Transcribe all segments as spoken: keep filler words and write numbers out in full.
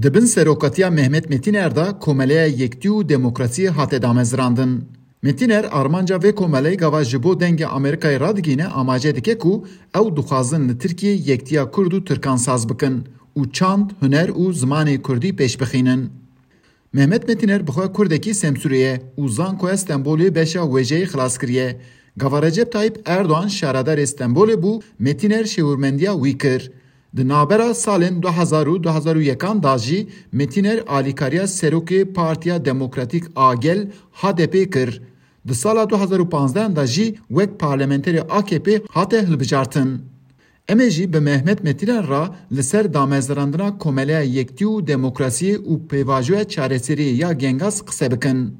Di bin serokatiya Mehmet Metîner de Komeleya Yektî û Demokrasiyê hate damezrandin. Metîner armanca vê komeleyê gava ji bo Dengê Amerîkayê radigihîne amaje dike ku ew dixwazin li Tirkiyê yektiya Kurd û Tirkan saz bikin û çand, huner û zimanê Kurdî pêş bixînin. Mehmet Metîner bi xwe Kurdekî Semsûrê ye û zankoya Stenbolê beşa wêjeyê xilas kiriye. Gava Recep Tayyip Erdoğan şaredarê Stenbolê bû, Metîner şêwirmendiya wî kir. Di navbera salên du hezar û du hezar û yekan de jî Metîner alîkariya serokê Partiya Demokratîk a Gel, H D P, kir. Di sala du hezar û panzdeh de jî wek parlamenterê A K P hate hilbijartin. Em ê jî bi Mehmet Metîner re li ser damezrandina Komeleya Yektî û Demokrasiyê û Pêvajoya Çareseriyê ya Gengas qise bikin.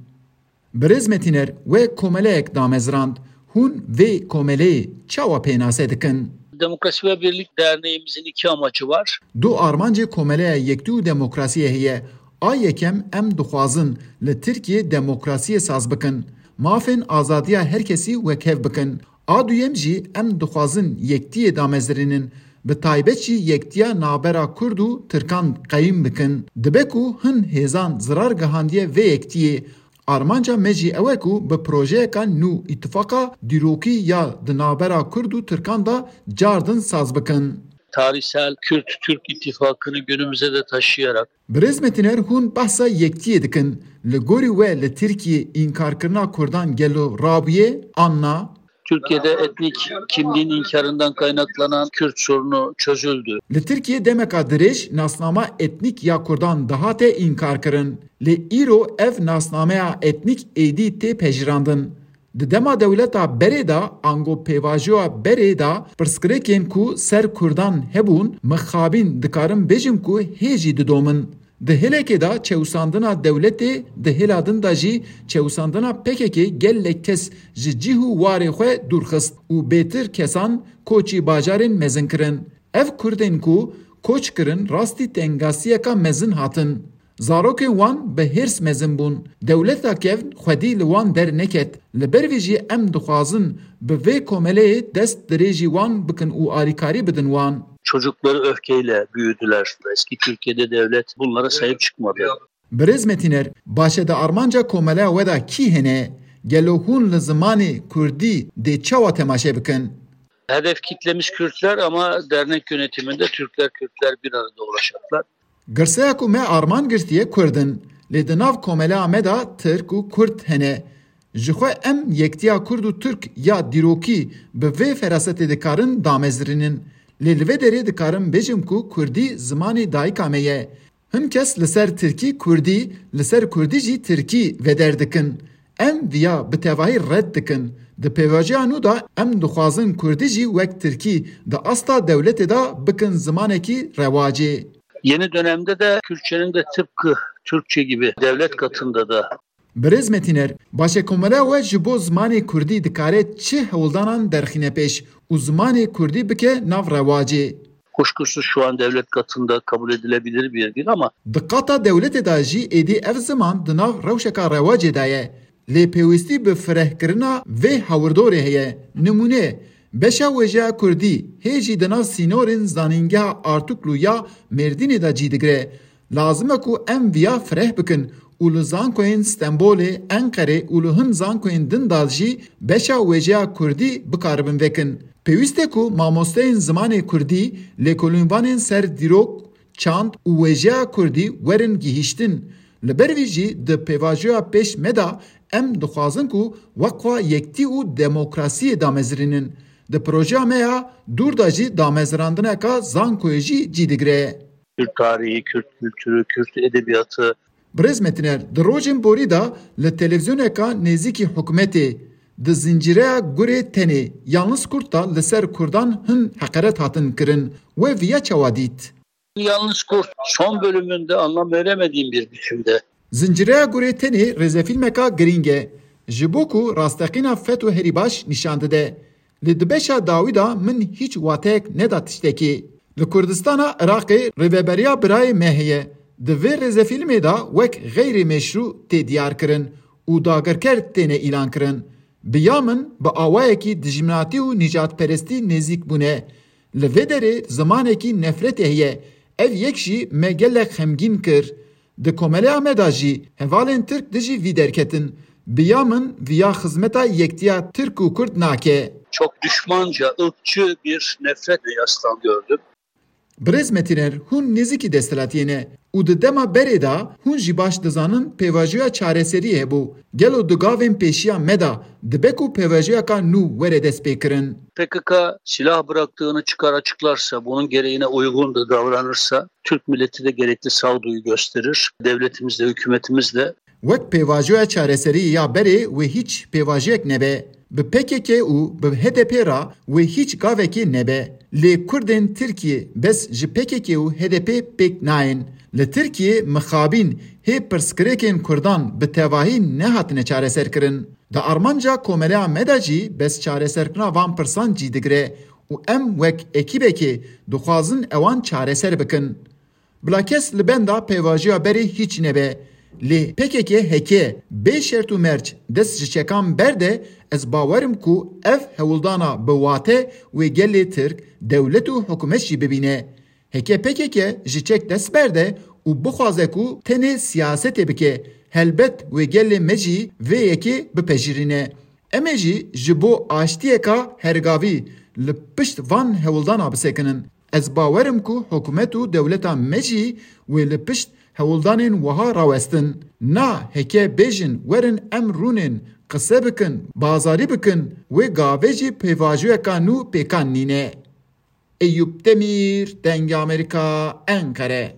Birêz Metîner, we komeleyek damezrand. Hûn vê komeleyê çawa pênase dikin? Demokrasi ve Birlik Derneğimizin iki amacı var. Du armancê Komeleya Yektî û Demokrasiyê heye. A yekem, em dixwazin li Tirkiyê demokrasiyê saz bikin. Mafên azadiya her kesî wekhev bikin. A duyem jî, em dixwazin yektiyê damezirînin. Bi taybet jî yektiya navbera Kurd û Tirkan qeyîm bikin. Dibe ku hin hêzan zirar gihandiye vê yektiyê. Armanca me jî ew e ku bi projeyeka nû îtifaqa dîrokî ya di navbera Kurd û Tirkan de cardin saz bikin. Tarihsel Kürt-Türk ittifakını günümüze de taşıyarak Birêz Metîner, hûn behsa yektiyê dikin. Li gorî we li Tirkiyê înkarkirina Kurdan gelo rabûye an na? Türkiye'de etnik kimliğin inkarından kaynaklanan Kürt sorunu çözüldü. Li Tirkiyê demeka dirêj nasnama etnîk ya Kurdan dihate înkarkirin. Lê îro ev nasnameya etnîk êdî tê pejirandin. Di dema dewleta berê de, ango pêvajoya berê de, pirsgirêkên ku ser Kurdan hebûn, mixabîn dikarim bêjim ku hê jî didomin. Di hêlekê de çewsandina dewletê, di hêla din de jî çewsandina P K K gelek kes ji cih û warê xwe dûr xist û bêtir kesan koçî bajarên mezin kirin. Ev Kurdên ku koç kirin rastî tengasiyeka mezin hatin. Zarokên wan bi hêrs mezin bûn. Dewleta kevn xwedî li wan derneket. Li ber vê jî em dixwazin bi vê komeleyê dest dirêjî wan bikin û alîkarî bidin wan. Çocukları öfkeyle büyüdüler. Eski Türkiye'de devlet bunlara sahip çıkmadı. Birêz Metîner, baş e, di armanca komeleya we de kî hene? Gelo hûn li zimanê Kurdî dê çawa temaşe bikin? Hedef kitlemiz Kürtler ama dernek yönetiminde Türkler, Kürtler bir arada olacaklar. Girseya ku me arman girtiye Kurd in, lê di nav komeleya me de Tirk û Kurd hene. Ji xwe em yektiya Kurd û Tirk ya dîrokî bi vê ferasetê dikarin damezirînin. Lê li vê derê dikarim bêjim ku Kurdî zimanê dayika me ye. Hin kes li ser Tirkî Kurdî, li ser Kurdî jî Tirkî veder dikin. Em viya bi tevahî red dikin. Di pêvajoya nû de em dixwazin Kurdî jî wek Tirkî di asta dewletê de bikin zimanekî rewacê. Yeni dönemde de Kürtçenin de tıpkı Türkçe gibi devlet katında da Birêz Metîner, baş e, komeleya we ji bo zimanê Kurdî dikare çi hewldanan derxîne pêş û zimanê Kurdî bike nav rewacê? Kuşkusuz şu an devlet katında kabul edilebilir bir dil ama Di qata dewletê de jî êdî ev ziman di nav rewşeka rewacê de ye. Lê pêwîstî bi firehkirina vê hawirdorê heye. Nimûne, beşa wêjeya Kurdî hê jî di nav sînorên Zanîngeha Artuklu ya Mêrdînê de cî digire. Lazim e ku em viya fireh bikin û li zankoyên Stenbolê, Enqerê û li hin zankoyên din de jî beşa wêjeya Kurdî bikaribin vekin. Pêwîst e ku mamosteyên zimanê Kurdî, lêkolînvanên ser dîrok, çand û wêjeya Kurdî werin gihîştin. Li ber vî jî di pêvajoya pêş me de em dixwazin ku Weqfa Yektî û Demokrasiyê damezirînin. Di projeya me ya dûr de jî damezirandineka zankoyê jî cî digire. Kürt tarihi, Kürt kültürü, Kürt edebiyatı. Birêz Metîner, di rojên borî de li televîzyoneka nêzîkî hikûmetê, di zincîreya Gurê Tenê, Yalnız Kurt de li ser Kurdan hin heqeret hatin kirin. We viya çawa dît? Yalnız Kurt son bölümünde anlam veremediğim bir biçimde. Zincîreya Gurê Tenê rêzefîlmeka girîng e. Ji bo ku rasteqîna FETÖ herî baş nîşan dide. Lê di beşa dawî de min hîç wateyek neda tiştekî. Li Kurdistana Iraqê rêveberiya birayê me heye. Di vê rêzefîlmê de wek xeyrê meşrû tê diyar kirin û dagirker têne îlan kirin. Bi ya min bi awayekî dijminatî û nîjadperestî nêzîk bûne. Li vê derê zimanekî nefretê heye. Ev yek jî me gelek xemgîn kir. Di komeleya me de jî hevalên Tirk dijî vî derketin. Bi ya min viya xizmeta yektiya Tirk û Kurd nake. Çok düşmanca, ırkçı bir nefretle yastan gördüm. Birêz Metîner, hûn nêzîkî desthilatiyê ne û di dema berê de hûn jî baş dizanin pêvajoya çareseriyê hebû. Gelo di gavên pêşiya me de dibe ku pêvajoyeka nû were destpêkirin? P K K silah bıraktığını çıkar açıklarsa, bunun gereğine uygun da davranırsa, Türk milleti de gerekli sağduyu gösterir. Devletimiz de, hükümetimiz de. Wek pêvajoya çareseriyê ya berê wê hîç pêvajiyek nebe. Bi P K K û bi H D P re wê hîç gavekê nebe. Lê Kurdên Tirkiyê bes ji P K K û H D P pêk nayên. Li Tirkiyê mixabîn hê pirsgirêkên Kurdan bi tevahî nehatine çareserkirin. Di armanca komeleya me de jî bes çareserkirina van pirsan cî digire û em wek ekîbekê dixwazin ewan çareser bikin. Bila kes li benda pêvajoya berê hîç nebe. Lê P K K heke bê şert û merc dest ji çekan berde, ez bawer im ku ev hewldana bi wate wê gelê Tirk, dewlet û hikûmet jî bibîne. Heke P K K ji çek dest berde û bixwaze ku tenê siyasetê bike, helbet wê gelê me jî vê yekê bipejirîne. Em ê jî ji bo aştiyeka hergavî li pişt van hewldana bisekinin. Ez bawer im ku hikûmet û dewleta me jî wê li pişt hewldanên wiha rawestin. Na heke bêjin werin em rûnên, qise bikin, bazarî bikin, wê gavê jî pêvajoyeka nû pêkan nîne. Eyûp Demîr, Dengê Amerîka, Enqere.